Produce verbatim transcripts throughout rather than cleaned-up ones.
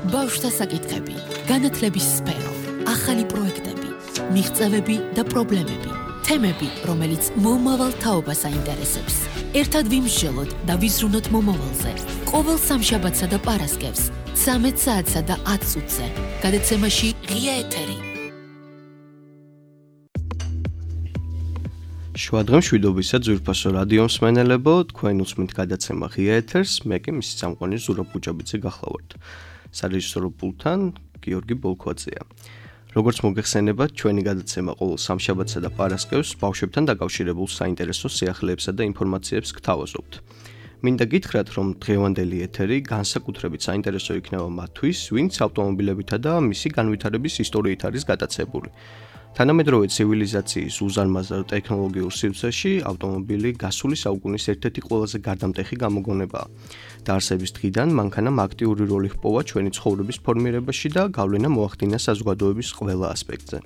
ბავშვთა საკითხები, განათლების სფერო, ახალი პროექტები, მიღწევები და პრობლემები, თემები, რომელიც მომავალ თაობას აინტერესებს. ერთად ვიმსჯელოთ და ვიზრუნოთ მომავალზე. ყოველ სამშაბათსა და პარასკევს, ცამეტ საათსა და ათ წუთზე. გადაცემაში ღია ეთერი. შუადღემ შვიდობისა ძვირფასო რადიო მსმენელებო, თქვენ უსმენთ გადაცემა ღია ეთერს, მე კი მისი წამყვანი ზურაბ გუჯაბიძე გახლავართ. სარეჟისორო პულტთან გიორგი ბოლქვაძეა. როგორც მოგეხსენებათ, ჩვენი გადაცემა ყოველ სამშაბათსა და პარასკევს ბავშვებთან დაკავშირებულ საინტერესო სიახლეებსა და ინფორმაციებს გთავაზობთ. მინდა გითხრათ, რომ დღევანდელი ეთერი განსაკუთრებით საინტერესო იქნება მათთვის, ვინც ავტომობილებითა და მისი განვითარების ისტორიით არის გატაცებული. თანამედროვე ცივილიზაციის უზარმაზარ ტექნოლოგიურ სივრცეში ავტომობილი გასული საუკუნის ერთ-ერთი ყველაზე გარდამტეხი გამოგონებაა. დაარსების დღიდან მანქანამ აქტიური როლი ჰპოვა ჩვენი ცხოვრების ფორმირებაში და გავლენა მოახდინა საზოგადოების ყველა ასპექტზე.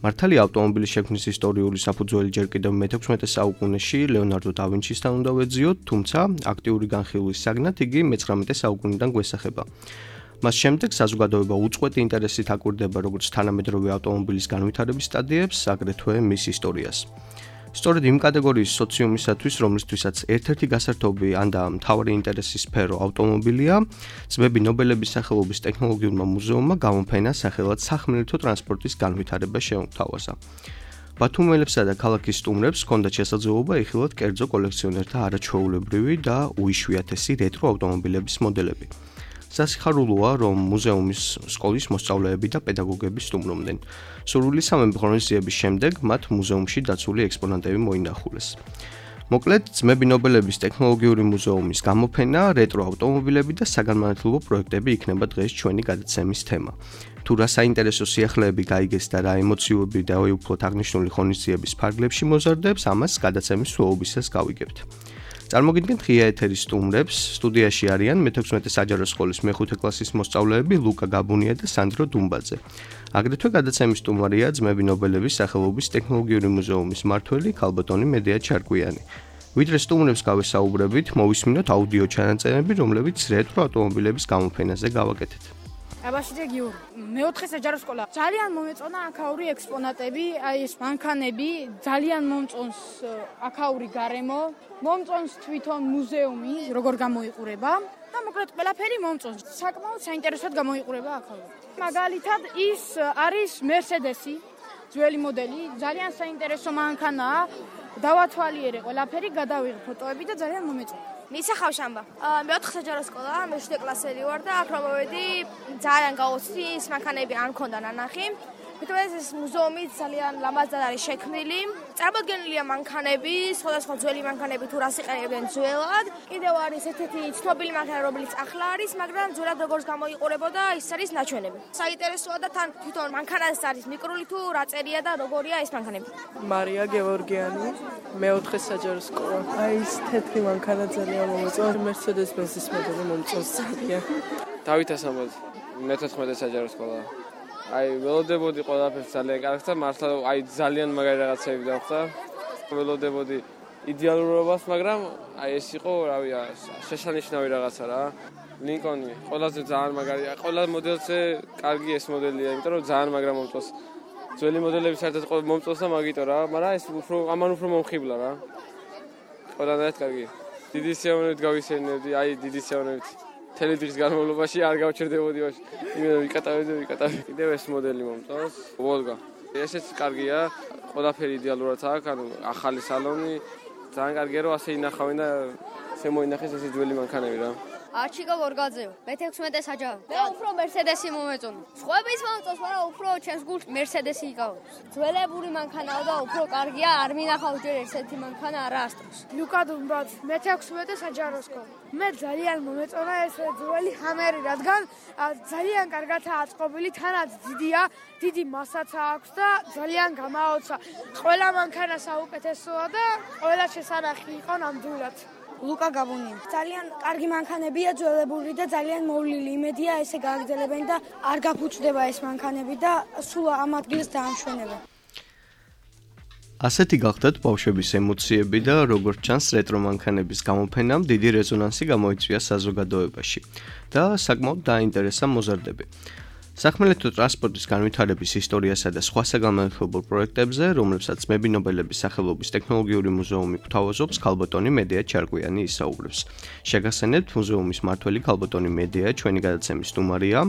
მართალია ავტომობილის შექმნის ისტორიული საფუძველი ჯერ კიდევ მეთექვსმეტე საუკუნეში ლეონარდო და ვინჩისთან უნდა ვეძიოთ, თუმცა აქტიური განხილვის საგნად იგი მეცხრამეტე საუკუნიდან გვესახება. მას შემდეგ საზოგადოება უწყვეტი ინტერესით აკვირდება როგორც თანამედროვე ავტომობილის განვითარების სტადიებს, აგრეთვე მის ისტორიას. სწორედ იმ კატეგორიის სოციუმისათვის, რომლისთვისაც ერთ-ერთი გასართობი ან და მთავარი ინტერესის სფერო ავტომობილია, ძმები ნობელების სახელობის ტექნოლოგიურმა მუზეუმმა გამოფენა სახელად სახმელეთო ტრანსპორტის განვითარება შეუთავაზა. ბათუმელებსა და ქალაქის სტუმრებს ჰქონდათ შესაძლებლობა იხილოთ კერძო კოლექციონერთა არაჩვეულებრივი და უიშვიათესი რეტრო ავტომობილების მოდელები. სასიხარულოა, რომ მუზეუმის სკოლის მოსწავლეები და პედაგოგები სტუმრობდნენ. სურვილი სამეფო ღონისძიების შემდეგ მათ მუზეუმში დაცული ექსპონატები მოინახულეს. მოკლედ, ძმები ნობელების ტექნოლოგიური მუზეუმის გამოფენა, რეტრო ავტომობილები და საგანმანათლებლო პროექტები იქნება დღეს ჩვენი გადაცემის თემა. თუ რა საინტერესო სიახლეები გაიგეს და რა ემოციები და უუფლოდ აღნიშნული ღონისძიების ფარგლებში მოზარდებს, ამას გადაცემის სრულობისას გავიგებთ. წარმოგიდგენთ ღია ეთერის სტუმრებს, სტუდიაში არიან მეთექვსმეტე საჯარო სკოლის მეხუთე კლასის მოსწავლეები ლუკა გაბუნია და სანდრო დუმბაძე. აგრეთვე გადაცემის სტუმარია ძმები ნობელების სახელობის ტექნოლოგიური მუზეუმის მმართველი ქალბატონი მედეა ჩარკვიანი. ვიდრე სტუმრებს გავესაუბრებით, მოვისმინოთ აუდიო ჩანაწერები, რომლებიც რეტრო ავტომობილების გამოფენაზე გავაკეთეთ. აბაშიძე გიორგი, მეოთხე საჯარო სკოლა. ძალიან მომეწონა აქაური ექსპონატები, აი ეს მანქანები, ძალიან მომწონს აქაური გარემო, მომწონს თვითონ მუზეუმი, როგორ გამოიყურება და მოკლედ ყველაფერი მომწონს. საკმაოდ საინტერესოდ გამოიყურება აქაური. მაგალითად, ის არის Mercedes-ი, ძველი მოდელი, ძალიან საინტერესო მანქანაა. დავათვალიერე ყველაფერი, გადავიღე ფოტოები და ძალიან მომეწონა. მისახავ შამბა. მეოთხე საჯარო სკოლა, მეშვიდე კლასელი ვარ და აქ რომ მოვედი, ძალიან გავოცდი, ის მანქანები არ მქონდა ნანახი. მithomეს ეს მუზეუმი ძალიან ლამაზად არის შექმნილი. წარმოდგენილია მანქანები, სხვადასხვა ძველი მანქანები თუ რას იყენებდნენ ძველად. კიდევ არის ერთ-ერთი ცნობილი მანქანა, რომელიც ახლა არის, მაგრამ ძველად როგორც გამოიყურებოდა, ის არის ნაჩვენები. საინტერესოა და თან თვითონ მანქანას არის მიკრული თუ რა წერია და როგორია ეს მანქანები. მარია გევორგიანი, მეოთხე საჯარო სკოლა. აი ეს თეთრი მანქანა ძალიან მომწონს. Mercedes-Benz-ის მოდელი მომწონს ძალიან. დავით ასამბაძე, მეთოთხმეტე საჯარო სკოლა. აი ველოდებოდი ყველაფერს ძალიან კარგს და მართლა აი ძალიან მაგარი რაღაცები დავხდა. ველოდებოდი იდეალურობას, მაგრამ აი ეს იყო, რავი, შეშანიშნავი რაღაცა რა. ლინკონი ყველაზე ძალიან მაგარია. ყველა მოდელზე კარგი ეს მოდელია, იმიტომ რომ ძალიან მაგრა მომწონს. ძველი მოდელები საერთოდ მომწონს და მაგიტო რა, მაგრამ ეს უფრო ამან უფრო მომხიბლა რა. ყველანაირად კარგი. დიდი სიამოვნებით გავისეირნებდი, აი დიდი სიამოვნებით. მთელი დღის განმავლობაში არ გავჩერდებოდი ვაში. იმენა ვიკატავდი, ვიკატავდი. კიდევ ეს მოდელი მომწონს. ვოლგა. ესეც კარგია. ყველაფერი იდეალურად აქვს, ანუ ახალი სალონი. ძალიან კარგია რომ ასე ინახავენ და ესე მოინახეს ეს ძველი მანქანები რა. არჩიკო გორგაძეო, მეთექვსმეტე საჯარო. მე უფრო Mercedes-ი მომეწონა. სხვაების მომწონს, მაგრამ უფრო ჩემს გულს Mercedes-ი იკავებს. ძველებური მანქანაა და უფრო კარგია, არ მინახავს ჯერ ერთ-ერთი მანქანა არა ასტროს. ლუკა დუმბაძე, მეთექვსმეტე საჯარო სკოლა. მე ძალიან მომეწონა ეს ძველი ჰამერი, რადგან ძალიან კარგადაა აწყობილი, თანაც დიდია, დიდი მასაც აქვს და ძალიან გამაოცა. ყველა მანქანა საუკეთესოა და ყველა შესანახი იყო ნამდვილად. ლუკა გაბუნია. ძალიან კარგი მანქანებია, ძველებული და ძალიან მოვლილი. იმედია ესე გააგრძელებენ და არ გაფუჭდება ეს მანქანები და სულ ამ ადგილს დაამშვენებენ. ასეთი გახდათ ბავშვების ემოციები და როგორც ჩანს რეტრო მანქანების გამოფენამ დიდი რეზონანსი გამოიწვია საზოგადოებაში და საკმაოდ დაინტერესა მოზარდები. სახმელეთო ტრანსპორტის განვითარების ისტორიასა და სხვა საგანმანათლებლო პროექტებზე, რომლებსაც მებინობელების სახელობის ტექნოლოგიური მუზეუმი გვთავაზობს, ქალბატონი მედია ჩარკვიანი ისაუბრებს. შეგახსენებთ, მუზეუმის მმართველი ქალბატონი მედია ჩვენი გადაცემის სტუმარია.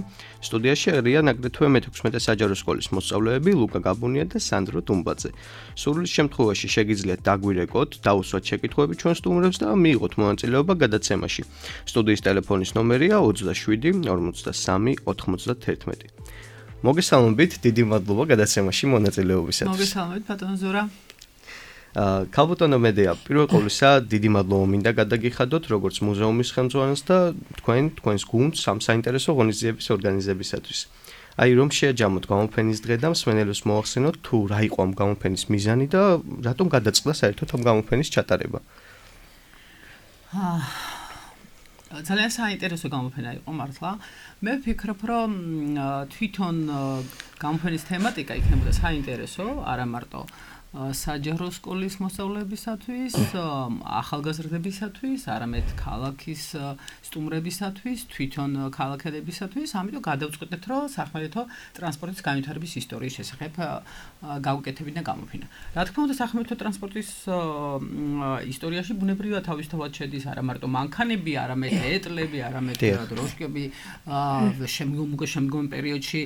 სტუდიაში არიან აგრეთვე მეთექვსმეტე საჯარო სკოლის მოსწავლეები ლუკა გაბუნია და სანდრო დუმბაძე. სურვილის შემთხვევაში შეგიძლიათ დაგვირეკოთ, დაუსვათ შეკითხვები ჩვენ სტუმრებს და მიიღოთ მონაწილეობა გადაცემაში. სტუდიის ტელეფონის ნომერია ოცდაშვიდი ორმოცდასამი ოთხმოცდაათერთმეტი. მოგესალმებით, დიდი მადლობა გადაცემაში მონაწილეობისათვის. მოგესალმებით, ბატონო ზურა. აა, ქალბატონო მედია, პირველ ყოვლისა დიდი მადლობა მინდა გადაგიხადოთ, როგორც მუზეუმის ხელმძღვანელს და თქვენ, თქვენს გუნდს ამ საინტერესო ღონისძიების ორგანიზებისათვის. აი, რომ შეაჯამოთ გამოფენის დღე და მსმენელებს მოახსენოთ, თუ რა იყო ამ გამოფენის მიზანი და რატომ გადაწყდა საერთოდ ამ გამოფენის ჩატარება. აა ძალიან საინტერესო გამოფენა იყო მართლა. მე ვფიქრობ, რომ თვითონ გამოფენის თემატიკა იქნებოდა საინტერესო, არა მარტო საჯარო სკოლის მოსწავლეებისათვის, ახალგაზრდებისათვის, არამედ ქალაქის სტუმრებისათვის, თვითონ ქალაქელებისათვის, ამიტომ გადავწყვეტეთ, რომ სახმელეთო ტრანსპორტის განვითარების ისტორიის შესახებ გავუკეთებინა გამოფენა. რა თქმა უნდა, სახმელეთო ტრანსპორტის ისტორიაში ბუნებრივად თავისთავად შედის არა მარტო მანქანები, არამედ ეტლები, არამედ დროშკები, შემდგომ შემდგომ პერიოდში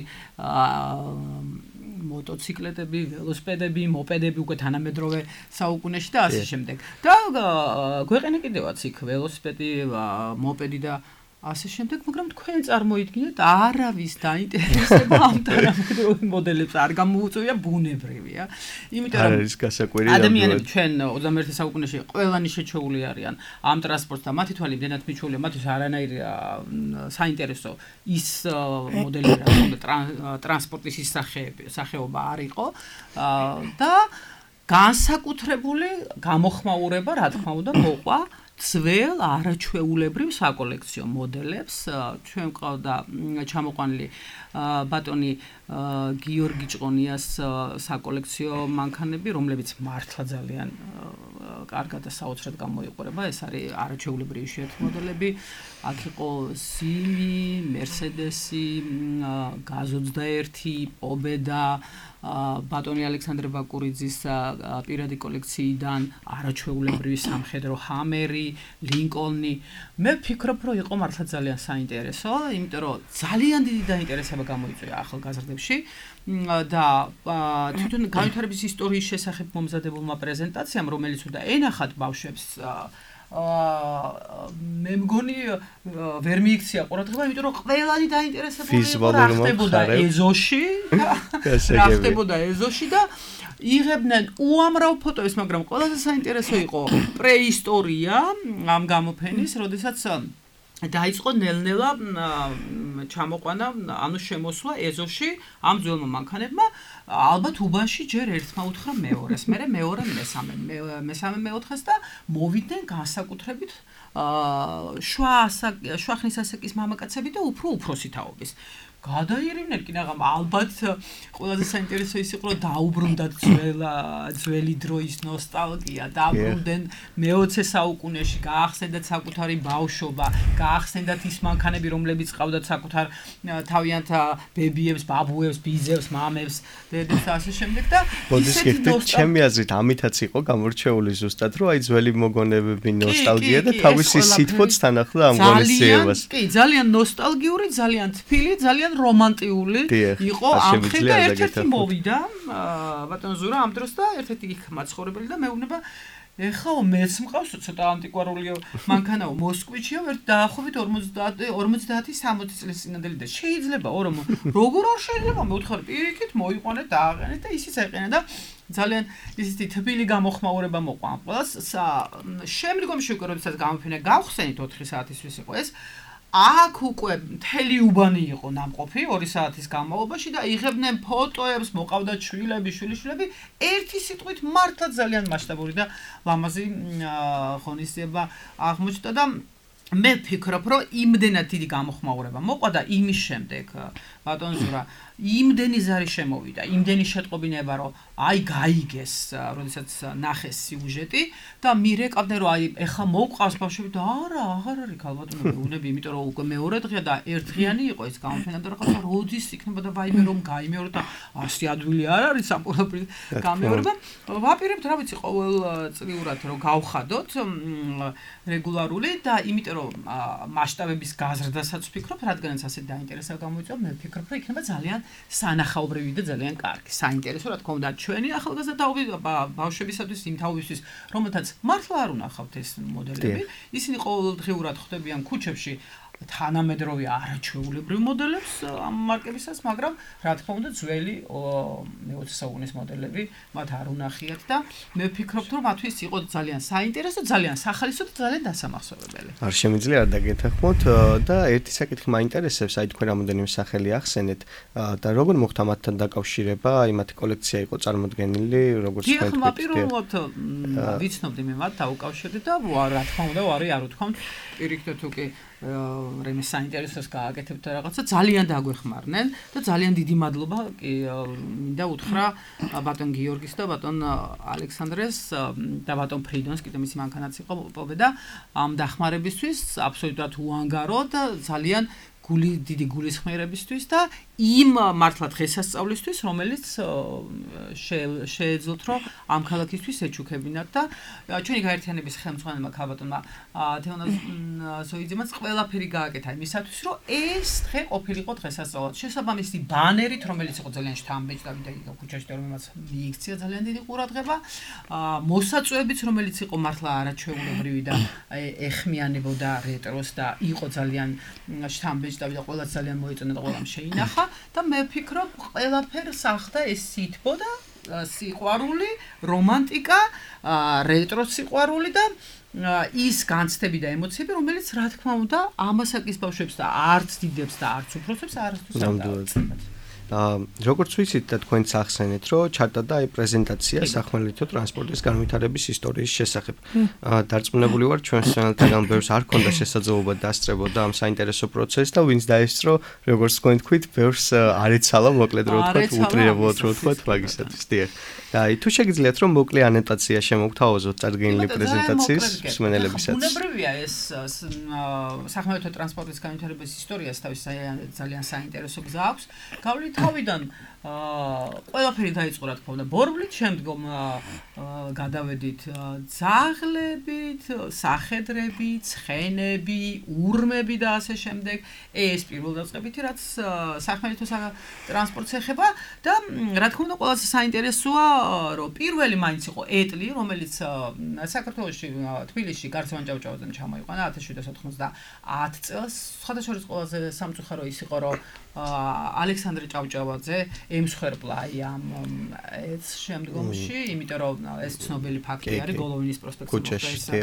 მოტოციკლეტები, ველოსიპედები, მოპედები უკვე თანამედროვე საუკუნეში და ასე შემდეგ. და გვეყენა კიდევაც იქ ველოსიპედი, მოპედი და ასე შემდეგ, მაგრამ თქვენ წარმოიდგინეთ, არავის დაინტერესება ამ თანამედროვე მოდელებს არ გამოუწვია, ბუნებრივია. იმიტომ რომ არის გასაკვირი ადამიანები ჩვენ ოცდამეერთე საუკუნეში ყველანი შეჩეული არიან ამ ტრანსპორტს და მათი თვალი იმდენად მიჩვეულია, მათთვის არანაირი საინტერესო ის მოდელი რა ტრანსპორტის ის სახეობა არ იყო და განსაკუთრებული გამოხმაურება, რა თქმა უნდა, მოყვა ძველ არაჩვეულებრივ საკოლექციო მოდელებს. ჩვენ ყავდა ჩამოყვანილი ბატონი გიორგი ჭყონიას საკოლექციო მანქანები, რომლებიც მართლა ძალიან კარგად და საოცრად გამოიყურება. ეს არის არაჩვეულებრივი იშვიათი მოდელები. აქ იყო სიმი, მერსედესი, გაზ ოცდაერთი, პობედა, ბატონი ალექსანდრე ბაკურიძის პირადი კოლექციიდან არაჩვეულებრივი სამხედრო ჰამერი, ლინკოლნი. მე ვფიქრობ, რომ იყო მართლა ძალიან საინტერესო, იმიტომ რომ ძალიან დიდი დაინტერესება გამოიწვია ახალგაზრდებში და თვითონ განვითარების ისტორიის შესახებ მომზადებულმა პრეზენტაციამ, რომელიც უნდა ენახათ ბავშვებს მე მგონი ვერ მიიქცია ყურადღება, იმიტომ რომ ყველანი დაინტერესებული იყო რა ხდებოდა ეზოში, რა ხდებოდა ეზოში და იღებდნენ უამრავ ფოტოებს, მაგრამ ყველაზე საინტერესო იყო პრეისტორია ამ გამოფენის, როდესაც დაიწყო ნელ-ნელა ჩამოყვანა, ანუ შემოსვლა ეზოში ამ ძველმა მანქანებმა, ალბათ უბანში ჯერ ერთმა უთხრა მეორეს, მერე მეორე მესამე, მესამე მეოთხეს და მოვიდნენ განსაკუთრებით შუა შუა ხნის ასაკის მამაკაცები და უფრო უფროსი თაობის. გადაირივნენ კი, მაგრამ ალბათ ყველაზე საინტერესო ის იყო, რომ დაუბრუნდათ ძველი დროის ნოსტალგია, დაუბრუნდნენ მეოცე საუკუნეში, გაახსენდათ საკუთარი ბავშვობა, გაახსენდათ ის მანქანები, რომლებიც ყავდათ საკუთარ თავიანთ ბებიებს, ბაბუებს, ბიძებს, მამებს, დედებს და ასე შემდეგ და ისეთი ნოსტალგია. ჩემი აზრით, ამითაც იყო გამორჩეული ზუსტად, რომ აი ძველი მოგონებები, ნოსტალგია და თავისი სითბოც თან ახლდა ამ ღონისძიებას. კი, ძალიან ნოსტალგიური, ძალიან თბილი, ძალიან რომანტიული იყო ამ ხე და ერთ-ერთი მოვიდა ბატონო ზურა ამ დროს და ერთ-ერთი იქ მაცხოვრებელი და მეუბნება ეხლა მეც მყავს ცოტა ანტიკვარული მანქანაო მოსკვიჩიო ერთ დაახლოებით ორმოცდაათი სამოცი წლის წინანდელი და შეიძლება რომ როგორ არ შეიძლება მე ვთხარ პირიქით მოიყვანეთ და აყენეთ და ისიც აყენა და ძალიან ისეთი თბილი გამოხმაურება მოყვა ამ ყველას შემდგომში უკვე როდესაც გამოფენა გავხსენით ოთხი საათისთვის იყო ეს აქ უკვე მთელი უბანი იყო ნამყოფი ორი საათის განმავლობაში და იღებდნენ ფოტოებს, მოყავდათ შვილები, შვილიშვილები, ერთი სიტყვით მართლა ძალიან მასშტაბური და ლამაზი ღონისძიება აღმოჩნდა და მე ვფიქრობ, რომ იმდენად დიდი გამოხმაურება მოყვა და იმის შემდეგ ბატონ ზურა იმდენი ზარი შემოვიდა, იმდენი შეტყობინება, რომ აი გაიგეს, როდესაც ნახეს სიუჟეტი და მირეკავდნენ, რომ აი ეხა მოვყავს ბავშვები და არა, აღარ არის ქალბატონები უნები, იმიტომ რომ უკვე მეორე დღეა და ერთდღიანი იყო ეს გამოფენა და რაღაცა როდის იქნება და ვაიმე რომ გაიმეორდა და ასი ადვილი არ არის სამყურობრივ გამეორება. ვაპირებთ, რა ვიცი, ყოველწლიურად რომ გავხადოთ რეგულარული და იმიტომ რომ მასშტაბების გაზრდასაც ვფიქრობ, რადგანაც ასე დაინტერესება გამოიწვია, მე ვფიქრობ, რომ იქნება ძალიან სანახაობრივი და ძალიან კარგი. საინტერესო რა თქმა უნდა ჩვენი ახალგაზრდა თაობები ბავშვებისათვის იმ თაობისთვის, რომელთაც მართლა არ უნახავთ ეს მოდელები. ისინი ყოველდღიურად ხვდებიან ქუჩებში თანამედროვე არაჩვეულებრივ მოდელებს ამ მარკებისას, მაგრამ რა თქმა უნდა ძველი მეოცე საუკუნის მოდელები მათ არ უნახიათ და მე ვფიქრობ, რომ მათთვის იყო ძალიან საინტერესო, ძალიან სახალისო და ძალიან დასამახსოვრებელი. არ შემიძლია არ დაგეთანხმოთ და ერთი საკითხი მაინტერესებს, აი თქვენ რამოდენიმე სახელი ახსენეთ და როგორ მოხდა მათთან დაკავშირება, აი მათი კოლექცია იყო წარმოდგენილი, როგორც თქვენ თქვით. დიახ, პირველად ვიცნობდი მე მათ დაუკავშირდი და რა თქმა უნდა, ვარი არ უთქვამთ, პირიქით თუ კი რემე საინტერესოს გააკეთებთ რაღაცა ძალიან დაგვეხმარნენ და ძალიან დიდი მადლობა მინდა უთხრა ბატონ გიორგის და ბატონ ალექსანდრეს და ბატონ ფრიდონს, კიდე მისი მანქანაც იყო პოვედა ამ დახმარებისთვის, აბსოლუტურად უანგარო და ძალიან გული დიდი გულისხმიერებისთვის და იმ მართლა დღესასწავლისთვის, რომელიც შეეძლოთ, რომ ამ ქალაქისთვის ეჩუქებინათ და ჩვენი გაერთიანების ხელმძღვანელმა ქალბატონმა თეონაზ ზოიძემაც ყველაფერი გააკეთა იმისათვის, რომ ეს დღე ყოფილიყო დღესასწაულად. შესაბამისი ბანერით, რომელიც იყო ძალიან შთამბეჭდავი და იქ ქუჩაში რომელმაც მიიქცია ძალიან დიდი ყურადღება, მოსაწვევებიც, რომელიც იყო მართლა არაჩვეულებრივი და ეხმიანებოდა რეტროს და იყო ძალიან შთამბეჭდავი და ყველაც ძალიან მოეწონა და ყველამ შეინახა. და მე ვფიქრობ, ყველაფერს ახდა ეს სითბო და სიყვარული, რომანტიკა, რეტრო სიყვარული და ის განცდები და ემოციები, რომელიც რა თქმა უნდა ამასაკის ბავშვებს და არც დიდებს და არც უფროსებს არასდროს არ დაუწყებათ. როგორც ვიცით და თქვენც ახსენეთ, რომ ჩატა და აი პრეზენტაცია სახმელეთო ტრანსპორტის განვითარების ისტორიის შესახებ. დარწმუნებული ვარ, ჩვენ სცენალთაგან ბევრს არ ქონდა შესაძლებლობა დასწრებოდა ამ საინტერესო პროცესს და ვინც დაესწრო, როგორც თქვენ თქვით, ბევრს არ ეცალა მოკლედ რო ვთქვათ, უტრირებულად რო ვთქვათ მაგისათვის. დიახ. და აი თუ შეგიძლიათ რომ მოკლე ანოტაცია შემოგთავაზოთ წარდგენილი პრეზენტაციის მსმენელებისაც. ბუნებრივია ეს სახმელეთო ტრანსპორტის განვითარების ისტორიას თავის ძალიან საინტერესო გზა აქვს. გავლით თავიდან ყველაფერი დაიწყო რა თქმა უნდა ბორბლით, შემდგომ გადავედით ძაღლებით, სახედრები, ცხენები, ურმები და ასე შემდეგ. ეს პირველდაწყებითი რაც სახმელეთო ტრანსპორტს ეხება და რა თქმა უნდა ყველაზე საინტერესოა რომ პირველი მაინც იყო ეტლი, რომელიც საქართველოში თბილისში გარცევან ჭავჭავაძემ ჩამოიყვანა ათას შვიდსა ოცდაათ წელს. სხვადასხვა ყველაზე სამწუხარო ის იყო რომ ალექსანდრე ჭავჭავაძე ემსხვერპლა აი ამ ეს შემდგომში, იმიტომ რომ ეს ცნობილი ფაქტი არის გოლოვინის პროსპექტში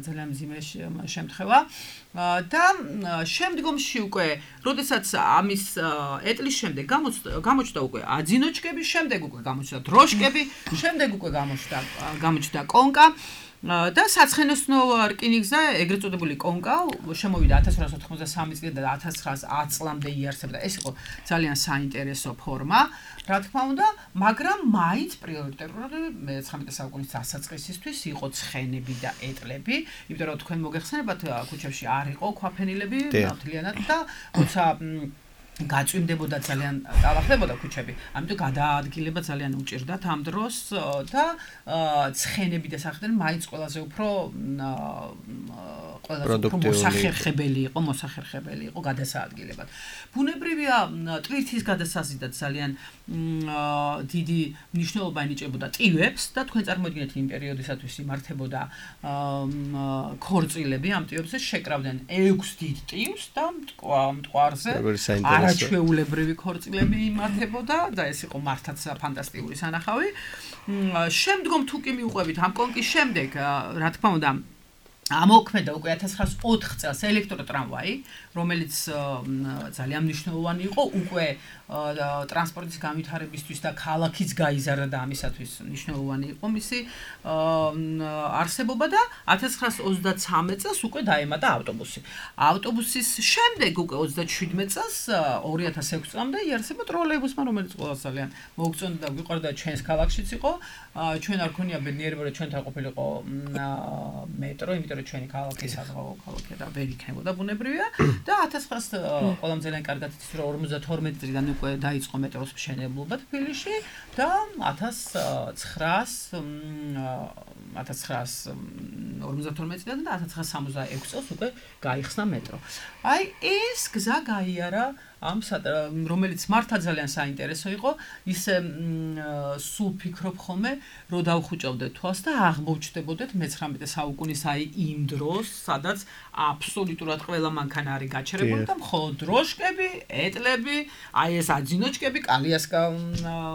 ძალიან მძიმე შემთხვევა და შემდგომში უკვე როდესაც ამის ეტლის შემდეგ გამოჩნდა უკვე აძინოჩკების შემდეგ უკვე გამოჩნდა დროშკები, შემდეგ უკვე გამოჩნდა გამოჩნდა კონკა და საცხენოსნო რკინიგზა, ეგრეთ წოდებული კონკა, შემოვიდა ათას რვაასი ოთხმოცდასამი წლიდან და ათას ცხრაასი წლამდე იარსებდა. ეს იყო ძალიან საინტერესო ფორმა, რა თქმა უნდა, მაგრამ მაინც პრიორიტეტული მეცხრამეტე საუკუნის დასაწყისისთვის იყო ცხენები და ეტლები, იმიტომ რომ თქვენ მოგეხსენებათ, ქუჩებში არ იყო ქვაფენილები ნათლიანად და როცა გაწვიმდებოდა ძალიან დაახლებოდა ქუჩები. ამიტომ გადაადგილება ძალიან უჭირდათ ამ დროს და ცხენები და სახედრები მაინც ყველაზე უფრო ყველაზე უფრო მოსახერხებელი იყო, მოსახერხებელი იყო გადასაადგილებად. ბუნებრივია ტვირთის გადასაზიდად ძალიან დიდი მნიშვნელობა ენიჭებოდა ტივებს და თქვენ წარმოიდგინეთ იმ პერიოდისათვის იმართებოდა ქორწილები, ამ ტივებზე შეკრავდნენ ექვს დიდ ტივს და მტკვარზე არაჩვეულებრივი ქორწილები იმართებოდა და ეს იყო მართლაც ფანტასტიკური სანახავი. შემდგომ თუ კი მიუყვებით ამ კონკის შემდეგ, რა თქმა უნდა, ამოქმედა უკვე ათას ცხრაას ოთხ წელს ელექტროტრამვაი, რომელიც ძალიან მნიშვნელოვანი იყო უკვე ტრანსპორტის განვითარებისთვის და ქალაქიც გაიზარდა და ამისათვის მნიშვნელოვანი იყო მისი არსებობა და ათას ცხრაას ოცდაცამეტ წელს უკვე დაემატა ავტობუსი. ავტობუსის შემდეგ უკვე ოცდაშვიდმეტ წელს ორი ათას ექვსი წლამდე იარსება ტროლეიბუსმა, რომელიც ყველას ძალიან მოუგწონდა და გვიყვარდა ჩვენს ქალაქშიც იყო. ჩვენ არ ქონია ბედნიერება რომ ჩვენთან ყოფილიყო მეტრო, იმიტომ რომ ჩვენი ქალაქი საზღვაო ქალაქია და ვერ იქნებოდა ბუნებრივია და ათას ცხრაას ყველამ ძალიან კარგად იცის რომ ორმოცდათორმეტი წლიდან უკვე დაიწყო მეტროს მშენებლობა თბილისში და ათას ცხრაას ორმოცდათორმეტი წლიდან და ათას ცხრაას სამოცდაექვსი წელს უკვე გაიხსნა მეტრო. აი ეს გზა გაიარა ამ რომელიც მართლა ძალიან საინტერესო იყო, ისე სულ ფიქრობ ხოლმე, რომ დავხუჭავდეთ თვალს და აღმოჩნდებოდეთ მეცხრამეტე საუკუნის აი იმ დროს, სადაც აბსოლუტურად ყველა მანქანა არის გაჩერებული და მხოლოდ დროშკები, ეტლები, აი ეს აძინოჩკები, კალიასკა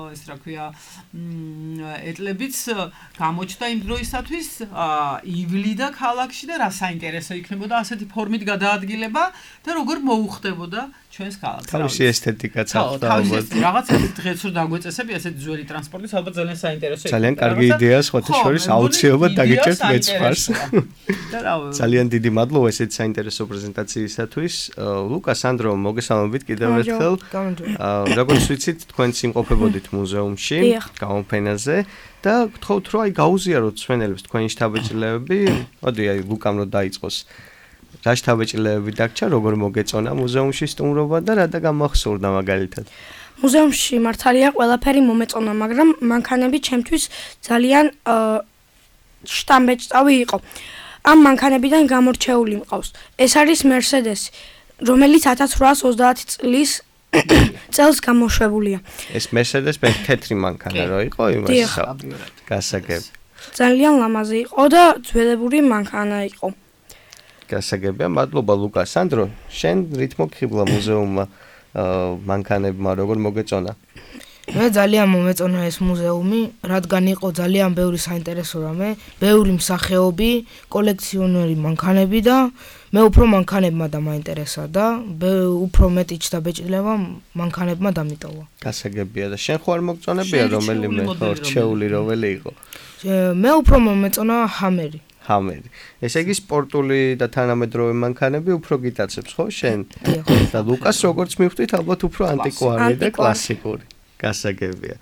ეს რა ქვია, ეტლებიც გამოჩნდა იმ დროისათვის, ივლიდა ქალაქში და რა საინტერესო იქნებოდა ასეთი ფორმით გადაადგილება და როგორ მოუხდებოდა ჩვენს ქალაქს. თავისი ესთეტიკაც აქვს და ალბათ რაღაც დღეს რომ დაგვეწესები ასეთი ძველი ტრანსპორტის ალბათ ძალიან საინტერესო იქნება. ძალიან კარგი იდეაა სხვათა შორის აუცილებლად დაგიჭერთ მეცხვარს. ძალიან დიდი მადლობა ესეთი საინტერესო პრეზენტაციისათვის. ლუკა, სანდრო, მოგესალმებით კიდევ ერთხელ. როგორც ვიცით, თქვენ იმყოფებოდით მუზეუმში, გამოფენაზე და გთხოვთ რომ აი გაუზიაროთ მსმენელებს თქვენი შთაბეჭდილებები. მოდი აი ლუკამ რომ დაიწყოს. რა შთაბეჭდილებები დაგჭა, როგორ მოგეწონა მუზეუმში სტუმრობა და რა და გამახსოვრდა მაგალითად? მუზეუმში მართალია ყველაფერი მომეწონა, მაგრამ მანქანები ჩემთვის ძალიან შთამბეჭდავი იყო. ამ მანქანებიდან გამორჩეული მყავს. ეს არის Mercedes, რომელიც ათას ცხრაას ოცდაათი წლის წელს გამოშვებულია. ეს Mercedes თეთრი მანქანა რო იყო იმას გასაგები. ძალიან ლამაზი იყო და ძველებური მანქანა იყო. გასაგებია, მადლობა ლუკა. სანდრო, შენ რითმო გხიბლა მუზეუმმა მანქანებმა, როგორ მოგეწონა? მე ძალიან მომეწონა ეს მუზეუმი, რადგან იყო ძალიან ბევრი საინტერესო რამე, ბევრი მსახეობი, კოლექციონერი მანქანები და მე უფრო მანქანებმა დამაინტერესა და უფრო მეტი ჩდაბეჭდილება მანქანებმა დამიტოვა. გასაგებია და შენ ხო არ მოგწონებია რომელიმე რჩეული რომელი იყო? მე უფრო მომეწონა ჰამერი. ჰამერი. ესე იგი სპორტული და თანამედროვე მანქანები უფრო გიტაცებს ხო შენ? და ლუკას როგორც მივხვდით, ალბათ უფრო ანტიკვარი და კლასიკური. გასაგებია.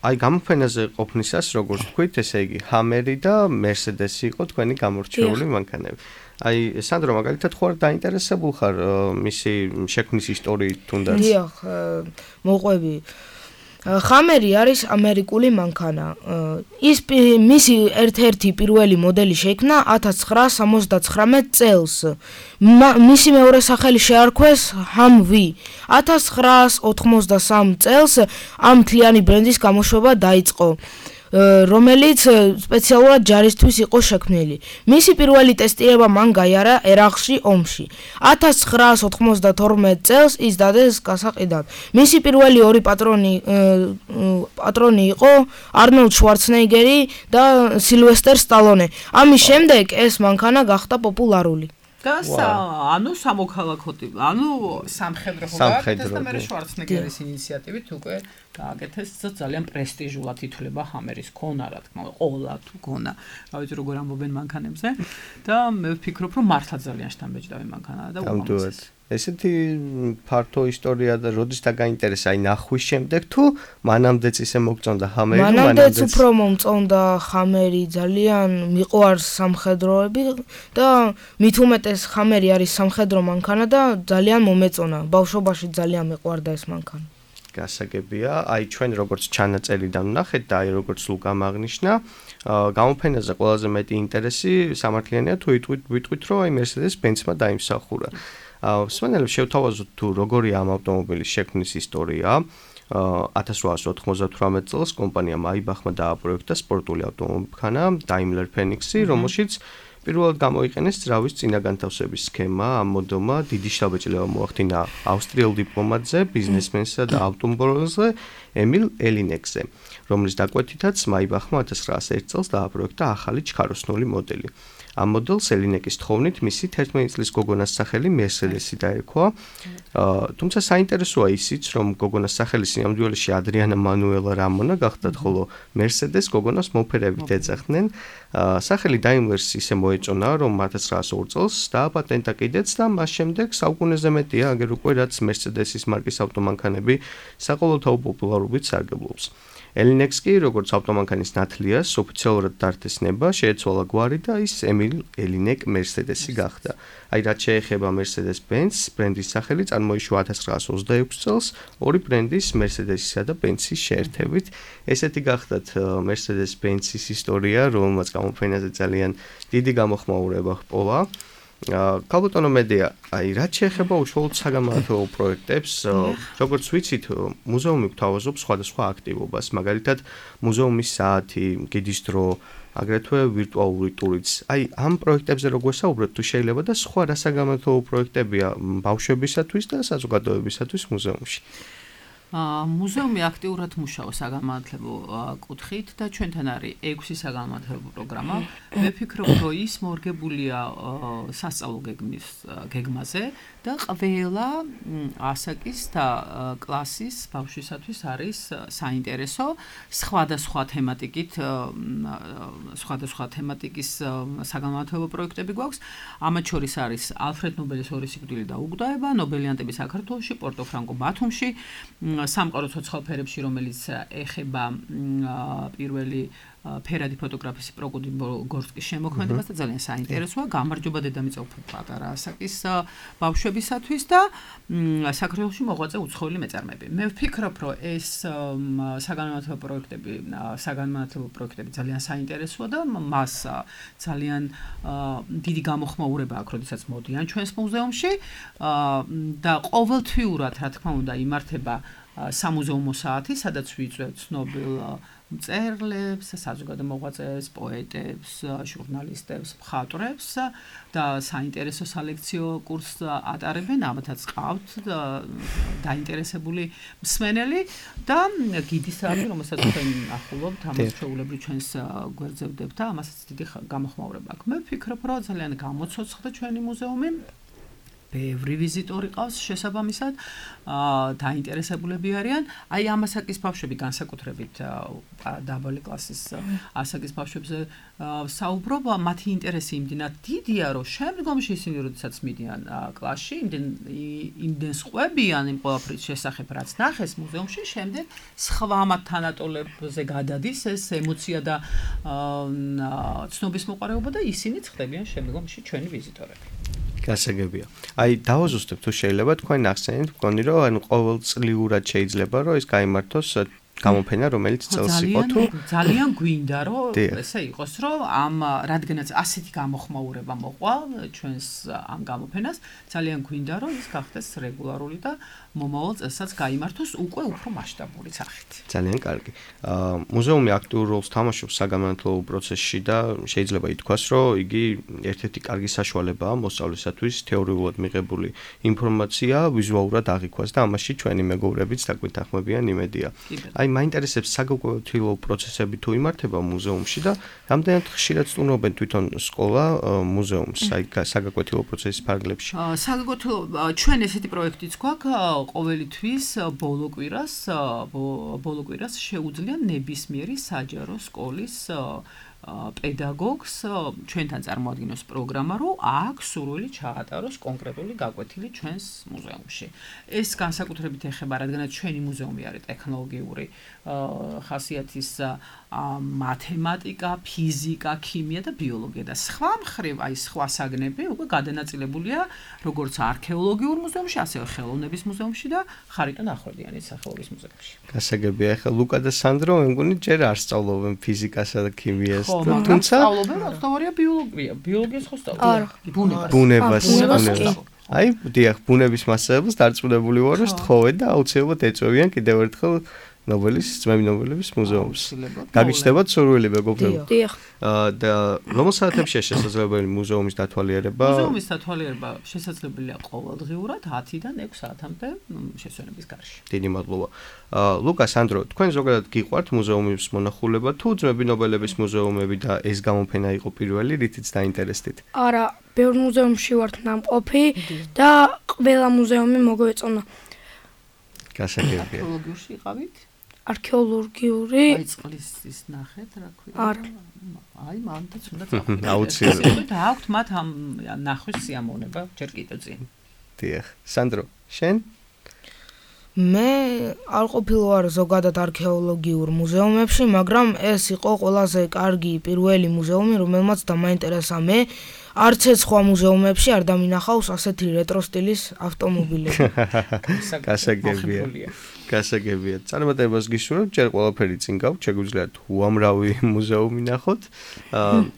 აი გამოფენაზე ყოფნისას როგორც თქვით, ესე იგი ჰამერი და Mercedes-ი იყო თქვენი გამორჩეული მანქანები. აი სანდრო, მაგალითად ხო არ დაინტერესებულ ხარ მისი შექმნის ისტორიით თუნდაც? დიახ, მოყვები. ჰამერი არის ამერიკული მანქანა. ის მისი ერთ-ერთი პირველი მოდელი შეიქმნა ათას ცხრაას სამოცდაცხრამეტ წელს. მისი მეორე სახელი შეარქვეს ჰამვი. ათას ცხრაას ოთხმოცდასამ წელს ამ მთლიანი ბრენდის გამოშვება დაიწყო, რომელიც სპეციალურად ჯარისთვის იყო შექმნილი. მისი პირველი ტესტირება მან გაიარა ერაყში ომში. ათას ცხრაას ოთხმოცდათორმეტ წელს ის დადეს გასაყიდად. მისი პირველი ორი პატრონი პატრონი იყო არნოლდ შვარცენეგერი და სილვესტერ სტალონე. ამის შემდეგ ეს მანქანა გახდა პოპულარული. და ანუ სამოქალაქო ტიპი, ანუ სამხედრო ხო გააკეთეს და მე შვარცენეგერის ინიციატივით უკვე გააკეთეს ძალიან პრესტიჟულად ითვლება ჰამერის ქონა, რა თქმა უნდა, ყოლა თუ ქონა. რა ვიცი როგორ ამბობენ მანქანებზე და მე ვფიქრობ რომ მართლა ძალიან შთამბეჭდავი მანქანაა და უამრავი. ესეთი ფართო ისტორია და როდის დაგაინტერესა, აი ნახვის შემდეგ თუ მანამდეც ისე მოგწონდა ჰამერი? მანამდეც უფრო მომწონდა ჰამერი, ძალიან მიყვარს სამხედროები და მით უმეტეს ჰამერი არის სამხედრო მანქანა და ძალიან მომეწონა. ბავშვობაში ძალიან მიყვარდა ეს მანქანა. გასაგებია, აი ჩვენ როგორც ჩანაწერიდან ვნახეთ და აი როგორც ლუკამ აღნიშნა, გამოფენაზე ყველაზე მეტი ინტერესი სამართლიანია თუ ვიტყვით რომ აი Mercedes-Benz-მა დაიმსახურა. მსმენელებს შევთავაზოთ თუ როგორია ამ ავტომობილის შექმნის ისტორია. ათას რვაას ოთხმოცდათვრამეტ წელს კომპანია Maybach-მა დააპროექტა სპორტული ავტომობილქანა Daimler Phoenix-ი, რომელშიც პირველად გამოიყენეს ძრავის წინაგანთავსების სქემა, ამ მოდელმა დიდი შთაბეჭდილება მოახდინა ავსტრიელ დიპლომატზე, ბიზნესმენსა და ავტომობილზე ემილ ელინეკზე, რომლის დაკვეთითაც მაიბახმა ათას ცხრაასი ერთი წელს დააპროექტა ახალი ჩქაროსნული მოდელი. ამ მოდელს ელინეკის თხოვნით მისი თერთმეტი წლის გოგონას სახელი მერსედესი დაერქვა. თუმცა საინტერესოა ისიც, რომ გოგონას სახელი სინამდვილეში ადრიანა მანუელა რამონა გახდა, ხოლო მერსედეს გოგონას მოფერებით ეძახდნენ. სახელი დაიმლერს ისე მოეწონა, რომ ათას ცხრაასი ორი წელს დააპატენტა კიდეც და მას შემდეგ საუკუნეზე მეტია, აგერ უკვე რაც მერსედესის მარკის ავტომანქანები საყოველთაო პოპულარობით სარგებლობს. ელინექს კი, როგორც ავტომანქანის ნათლიას, ოფიციალურად დართეს ნება, შეეცვალა გვარი და ის ემილ ელინეკ მერსედესი გახდა. აი, რაც შეეხება Mercedes-Benz ბრენდის სახელი წარმოიშვა ათას ცხრაასი ოცდაექვსი წელს ორი ბრენდის Mercedes-ისა და Benz-ის შეერთებით. ესეთი გახდათ Mercedes-Benz-ის ისტორია, რომელმაც გამოფენაზე ძალიან დიდი გამოხმაურება ჰპოვა. ქალბატონო მედია, აი, რაც შეეხება უშუალოდ საგამართლებო პროექტებს, როგორც ვიცით, მუზეუმი გვთავაზობს სხვადასხვა აქტივობას, მაგალითად, მუზეუმის საათი, გიდის დრო, აგრეთვე ვირტუალური ტურიც. აი, ამ პროექტებზე რო გვესაუბროთ, თუ შეიძლება და სხვა რა საგამართლებო პროექტებია ბავშვებისათვის და საზოგადოებისათვის მუზეუმში. მუზეუმი აქტიურად მუშაობს საგამართლებო კუთხით და ჩვენთან არის ექვსი საგამართლებო პროგრამა. მე ვფიქრობ, რომ ის მორგებულია სასწავლო გეგმის გეგმაზე და ყველა ასაკის და კლასის ბავშვისათვის არის საინტერესო სხვადასხვა თემატიკით სხვადასხვა თემატიკის საგამართლებო პროექტები გვაქვს. ამათ შორის არის ალფრედ ნობელის ორი სიკვდილი და უგდაება, ნობელიანტები საქართველოში, პორტო ფრანკო ბათუმში, სამყარო ცოცხალ ფერებში, რომელიც ეხება პირველი ფერადი ფოტოგრაფის პროკუდი გორსკის შემოქმედებას და ძალიან საინტერესოა. გამარჯობა დედამიწა უფრო პატარა ასაკის ბავშვებისათვის და საქართველოში მოღვაწე უცხოელი მეწარმეები. მე ვფიქრობ, რომ ეს საგანმანათლებლო პროექტები, საგანმანათლებლო პროექტები ძალიან საინტერესოა და მას ძალიან დიდი გამოხმაურება აქვს, როდესაც მოდიან ჩვენს მუზეუმში და ყოველთვიურად, რა თქმა უნდა, იმართება სამუზეუმო საათი, სადაც ვიწვევთ ცნობილ მწერლებს, საზოგადო მოღვაწეებს, პოეტებს, ჟურნალისტებს, მხატვრებს და საინტერესო სალექციო კურსს ატარებენ, ამათაც ყავთ დაინტერესებული მსმენელი და გიდის საათი, რომელსაც თქვენ ახულობთ, ამას ჩვეულებრივ ჩვენს გვერდზე ვდებთ და ამასაც დიდი გამოხმაურება აქვს. მე ვფიქრობ, რომ ძალიან გამოცოცხლდა ჩვენი მუზეუმი. ბევრი ვიზიტორი ყავს შესაბამისად, დაინტერესებულები არიან. აი, ამ ასაკის ბავშვები განსაკუთრებით დაბალი კლასის ასაკის ბავშვებზე საუბრობ, მათი ინტერესი იმდენად დიდია, რომ შემდგომში ისინი როდესაც მიდიან კლასში, იმდენს ყვებიან იმ ყველაფრის შესახებ, რაც ნახეს მუზეუმში, შემდეგ სხვა მათ თანატოლებზე გადადის ეს ემოცია და ცნობის მოყარეობა და ისინიც ხდებიან შემდგომში ჩვენი ვიზიტორები. გასაგებია. აი, დავაზუსტებ თუ შეიძლება თქვენ ახსენეთ, მგონი რომ ანუ ყოველწლიურად შეიძლება რომ ეს გაიმართოს გამოფენა, რომელიც წელს იყო თუ ძალიან გვინდა რომ ესე იყოს, რომ ამ რადგანაც ასეთი გამოხმაურება მოყვა ჩვენს ამ გამოფენას, ძალიან გვინდა რომ ის გახდეს რეგულარული და მომავალ წელსაც გაიმართოს უკვე უფრო მასშტაბური სახით. ძალიან კარგი. მუზეუმი აქტიურ როლს თამაშობს საგამართლებო პროცესში და შეიძლება ითქვას, რომ იგი ერთ-ერთი კარგი საშუალებაა მოსწავლისათვის თეორიულად მიღებული ინფორმაცია ვიზუალურად აღიქვას და ამაში ჩვენი მეგობრებიც დაგვეთანხმებიან იმედია. აი, მაინტერესებს საგაკვეთილო პროცესები თუ იმართება მუზეუმში და რამდენად ხშირად სტუმრობენ თვითონ სკოლა მუზეუმს, აი საგაკვეთილო პროცესის ფარგლებში. საგაკვეთილო ჩვენ ესეთი პროექტიც გვაქვს, ყოველი თვის ბოლო კვირას ბოლო კვირას შეუძლია ნებისმიერი საჯარო სკოლის პედაგოგს ჩვენთან წარმოადგინოს პროგრამა, რომ აქ სურვილი ჩაატაროს კონკრეტული გაკვეთილი ჩვენს მუზეუმში. ეს განსაკუთრებით ეხება, რადგანაც ჩვენი მუზეუმი არის ტექნოლოგიური ხასიათის მათემატიკა, ფიზიკა, ქიმია და ბიოლოგია და სხვა მხრივ, აი სხვა საგნები უკვე გადანაწილებულია როგორც არქეოლოგიურ მუზეუმში, ასევე ხელოვნების მუზეუმში და ხარიტონ ახვლედიანის სახელობის მუზეუმში. გასაგებია, ახლა ლუკა და სანდრო მე მგონი ჯერ არ სწავლობენ ფიზიკასა და ქიმიას. თუმცა სწავლობენ, სწავლობენ ბიოლოგია, ბიოლოგიას ხო სწავლობენ? ბუნებას. ბუნებას. აი, დიახ, ბუნების მასწავლებლებს დარწმუნებული ვარ, რომ სთხოვენ და აუცილებლად ეწევიან კიდევ ერთხელ ნობელის, ძმები ნობელების მუზეუმს. გაგიჩნდებათ სურვილი მეგობრებო? დიახ. და რომელ საათებშია შესაძლებელი მუზეუმის დათვალიერება? მუზეუმის დათვალიერება შესაძლებელია ყოველდღიურად ათიდან ექვს საათამდე შესვენების გარშე. დიდი მადლობა. ლუკა, სანდრო, თქვენ ზოგადად გიყვართ მუზეუმის მონახულება თუ ძმები ნობელების მუზეუმები და ეს გამოფენა იყო პირველი, რითიც დაინტერესდით? არა, ბევრ მუზეუმში ვართ ნამყოფი და ყველა მუზეუმი მოგვეწონა. გასაგებია. არქეოლოგიურში იყავით? არქეოლოგიური აი წყლის ის ნახეთ, რა ქვია. არა. აი მანდაც უნდა წახვიდეთ. აუცილებლად. და აქვთ მათ ამ ნახვის სიამოვნება ჯერ კიდევ წინ. დიახ. სანდრო, შენ? მე არ ყოფილვარ ზოგადად არქეოლოგიურ მუზეუმებში, მაგრამ ეს იყო ყველაზე კარგი პირველი მუზეუმი, რომელმაც დამაინტერესა მე. არც ეს სხვა მუზეუმებში არ დამინახავს ასეთი რეტრო სტილის ავტომობილები. გასაგებია. გასაგებია. წარმატებას გისურვებთ, ჯერ ყველაფერი წინ გაქვთ, შეგვიძლიათ უამრავი მუზეუმი ნახოთ.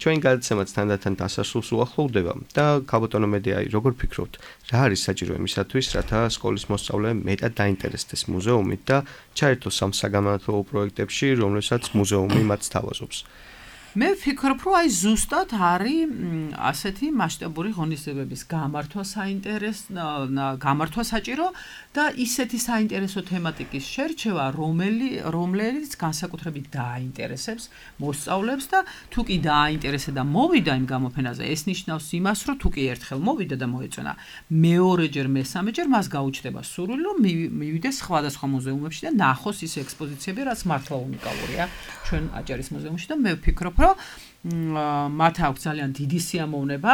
ჩვენ გადაცემაც თანდათან დასასრულს უახლოვდება და ქალბატონო მედია, როგორ ფიქრობთ, რა არის საჭირო იმისათვის, რათა სკოლის მოსწავლეებმა მეტად დაინტერესდეს მუზეუმით და ჩაერთოს ამ საგამომცემლო პროექტებში, რომლებსაც მუზეუმი მათ სთავაზობს? მე ვფიქრობ, რომ აი ზუსტად არის ასეთი მასშტაბური ღონისძიებების გამართვა საინტერესო, გამართვა საჭირო და ისეთი საინტერესო თემატიკის შერჩევა, რომელი რომლებიც განსაკუთრებით დააინტერესებს მოსწავლეებს და თუ კი დააინტერესა და მოვიდა იმ გამოფენაზე, ეს ნიშნავს იმას, რომ თუ კი ერთხელ მოვიდა და მოეწონა, მეორეჯერ, მესამეჯერ მას გაუჩნდება სურვილი, რომ მივიდეს სხვადასხვა მუზეუმებში და ნახოს ის ექსპოზიციები, რაც მართლა უნიკალურია ჩვენ აჭარის მუზეუმში და მე ვფიქრობ, რომ მათ აქვს ძალიან დიდი სიამოვნება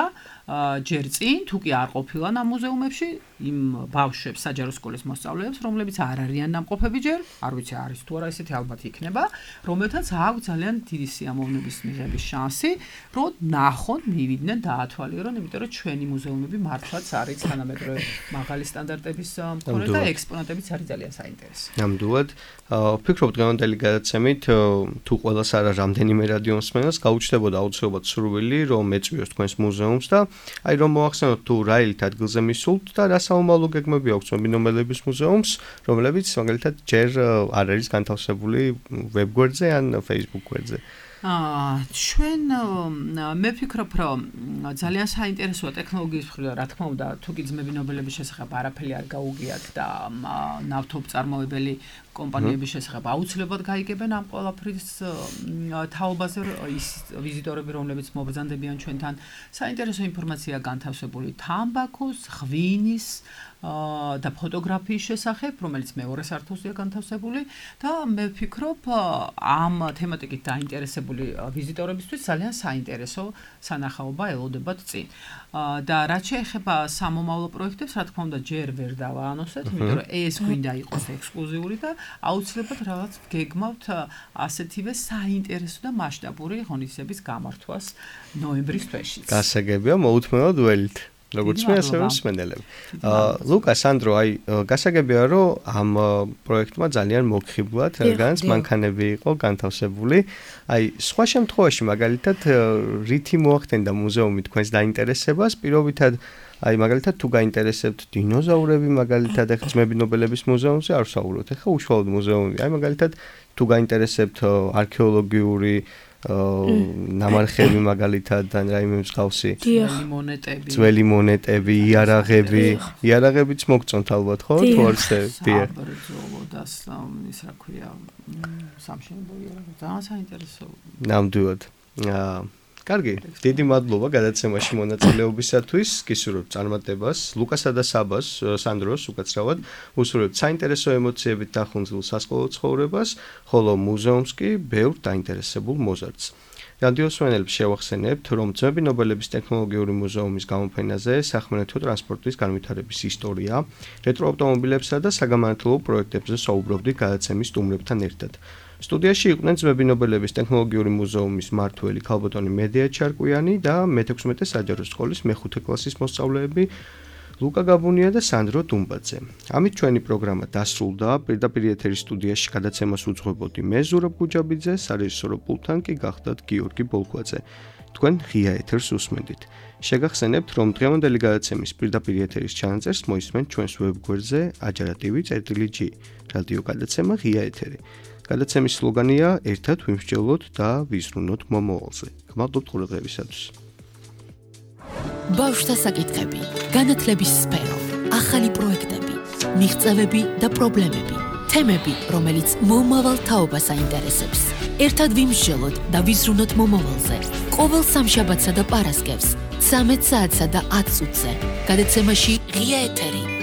ჯერ წინ, თუ კი არ ყოფილან ამ მუზეუმებში, იმ ბავშვებს, საჯარო სკოლის მოსწავლეებს, რომლებიც არ არიან ნამყოფები ჯერ, არ ვიცი არის თუ არა, ესეთი ალბათ იქნება, რომელთაც აქვს ძალიან დიდი სიამოვნების მიღების შანსი, რომ ნახონ, მივიდნენ, დაათვალიერონ, იმიტომ რომ ჩვენი მუზეუმები მართლაც არის თანამედროვე მაღალი სტანდარტების მქონე და ექსპონატებიც არის ძალიან საინტერესო. ნამდვილად, ვფიქრობ დღევანდელი გადაცემით თუ ყველას არა რამდენიმე რადიო მსმენელს გაუჩნდებოდა აუცილებლად სურვილი, რომ ეწვიოს თქვენს მუზეუმს და აი რომ მოახსენოთ თუ რა ილით ადგილზე მისულთ და რა საომალო გეგმები აქვს ძმები ნობელების მუზეუმს, რომლებიც მაგალითად ჯერ არ არის განთავსებული ვებგვერდზე ან Facebook გვერდზე. აა ჩვენ მე ვფიქრობ, რომ ძალიან საინტერესოა ტექნოლოგიის მხრიდან, რა თქმა უნდა, თუ კი ძმები ნობელების შესახებ არაფერი არ გაუგიათ და ნავთობწარმოებელი კომპანიების შესახებ აუცილებლად გაიგებენ ამ ყველაფრის თაობაზე ის ვიზიტორები, რომლებიც მობრძანდებიან ჩვენთან, საინტერესო ინფორმაცია განთავსებული თამბაქოს, ღვინის და ფოტოგრაფიის შესახებ, რომელიც მეორე სართულზეა განთავსებული და მე ვფიქრობ, ამ თემატიკით დაინტერესებული ვიზიტორებისთვის ძალიან საინტერესო სანახაობა ელოდებათ წინ. და რაც შეეხება სამომავლო პროექტებს, რა თქმა უნდა, ჯერ ვერ დავაანონსეთ, იმიტომ რომ ეს გვინდა იყოს ექსკლუზიური და აუცილებლად რაღაც გეგმავთ ასეთივე საინტერესო და მასშტაბური ღონისძიების გამართვას ნოემბრის თვეში. გასაგებია, მოუთმენლად ველით. როგორც მე ასევე მსმენელები. ლუკა, სანდრო, აი გასაგებია, რომ ამ პროექტმა ძალიან მოგხიბლად, რადგანაც მანქანები იყო განთავსებული. აი სხვა შემთხვევაში მაგალითად რითი მოახდენდა მუზეუმი თქვენს დაინტერესებას, პირობითად აი მაგალითად თუ გაინტერესებთ დინოზავრები, მაგალითად ახლა ძმები ნობელების მუზეუმზე არ ვსაუბრობთ, ახლა უშუალოდ მუზეუმი. აი მაგალითად თუ გაინტერესებთ არქეოლოგიური ნამარხები მაგალითად ან რაიმე მსგავსი ძველი მონეტები ძველი მონეტები იარაღები იარაღებიც მოგწონთ ალბათ ხო თუ არ ცდია საბრძოლო და ის რა ქვია სამშენებლო იარაღი ძალიან საინტერესო ნამდვილად კარგი დიდი მადლობა გადაცემაში მონაწილეობისათვის გისურვებთ წარმატებას ლუკასა და საბას სანდროს უკაცრავად უსურვებთ საინტერესო ემოციებით დახუნძულ სასკოლო ცხოვრებას ხოლო მუზეუმს კი ბევრ დაინტერესებულ მოზარდს რადიო მსმენელებს შევახსენებთ რომ ძმები ნობელების ტექნოლოგიური მუზეუმის გამოფენაზე სახმელეთო ტრანსპორტის განვითარების ისტორია რეტრო ავტომობილებსა და საგამანათლებლო პროექტებზე საუბრობდით გადაცემის სტუმრებთან ერთად სტუდიაში იყვნენ ძმები ნობელების ტექნოლოგიური მუზეუმის მმართველი ქალბატონი მედია ჩარკვიანი და მეთექვსმეტე საჯარო სკოლის მეხუთე კლასის მოსწავლეები ლუკა გაბუნია და სანდრო დუმბაძე. ამით ჩვენი პროგრამა დასრულდა. პირდაპირ ეთერის სტუდიაში გადაცემას უძღვებოდი მე ზურაბ გუჯაბიძე, სარეჟისორო პულტთან კი გახდათ გიორგი ბოლქვაძე. თქვენ ღია ეთერს უსმენთ. შეგახსენებთ, რომ დღევანდელი გადაცემის პირდაპირ ეთერის ჩანაწერს მოისმენთ ჩვენს ვებგვერდზე ajarativi.gi. რადიო გადაცემა ღია ეთერი. გადაცემის სლოგანია ერთად ვიმსჯელოთ და ვიზრუნოთ მომავალზე. გმადლობთ ყურადღებისათვის. ბავშვთა საკითხები, განათლების სფერო, ახალი პროექტები, მიღწევები და პრობლემები, თემები, რომელიც მომავალ თაობას აინტერესებს. ერთად ვიმსჯელოთ და ვიზრუნოთ მომავალზე. ყოველ სამშაბათსა და პარასკევს, ცამეტ საათსა და ათ წუთზე. გადაცემაში ღია ეთერი.